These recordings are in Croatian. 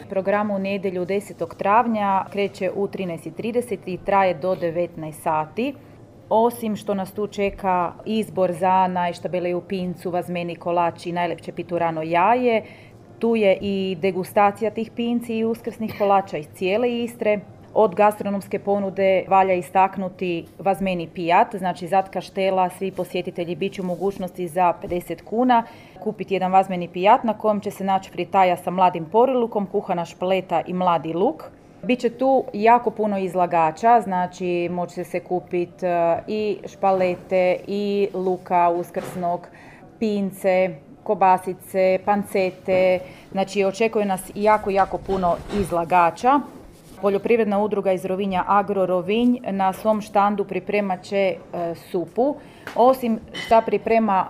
Program u nedjelju 10. travnja kreće u 13:30 i traje do 19 sati. Osim što nas tu čeka izbor za najštabeliju pincu, vazmeni kolač i najlepše piturano jaje, tu je i degustacija tih pinci i uskrsnih kolača iz cijele Istre. Od gastronomske ponude valja istaknuti vazmeni pijat, znači Zat Kaštela, svi posjetitelji bit će u mogućnosti za 50 kuna kupiti jedan vazmeni pijat na kojem će se naći fritaja sa mladim porilukom, kuhana špaleta i mladi luk. Biće tu jako puno izlagača, znači moće se kupiti i špalete i luka uskrsnog, pince, kobasice, pancete, znači očekuje nas jako puno izlagača. Poljoprivredna udruga iz Rovinja Agro Rovinj na svom štandu pripremat će supu. Osim što priprema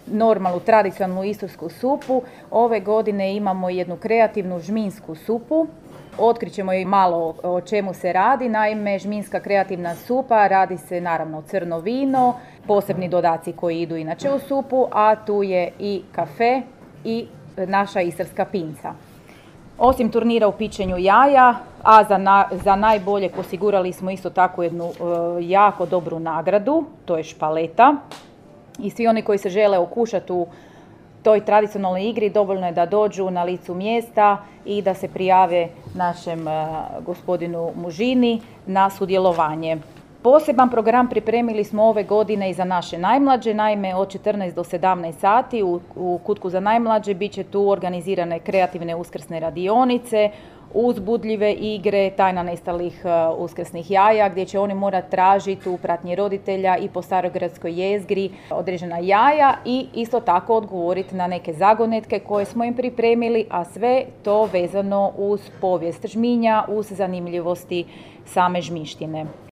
normalnu, tradicionalnu istarsku supu, ove godine imamo jednu kreativnu žminsku supu. Otkrićemo i malo o čemu se radi. Naime, žminska kreativna supa radi se naravno crno vino, posebni dodaci koji idu inače u supu, a tu je i kafe i naša istarska pinca. Osim turnira u pičenju jaja, a za najboljeg osigurali smo isto tako jednu jako dobru nagradu, to je špaleta. I svi oni koji se žele okušati u toj tradicionalnoj igri dovoljno je da dođu na licu mjesta i da se prijave našem gospodinu Mužini na sudjelovanje. Poseban program pripremili smo ove godine i za naše najmlađe, naime od 14 do 17 sati u Kutku za najmlađe bit će tu organizirane kreativne uskrsne radionice, uzbudljive igre, tajna nestalih uskrsnih jaja, gdje će oni morati tražiti u pratnji roditelja i po starogradskoj jezgri određena jaja i isto tako odgovoriti na neke zagonetke koje smo im pripremili, a sve to vezano uz povijest žminja, uz zanimljivosti same žmištine.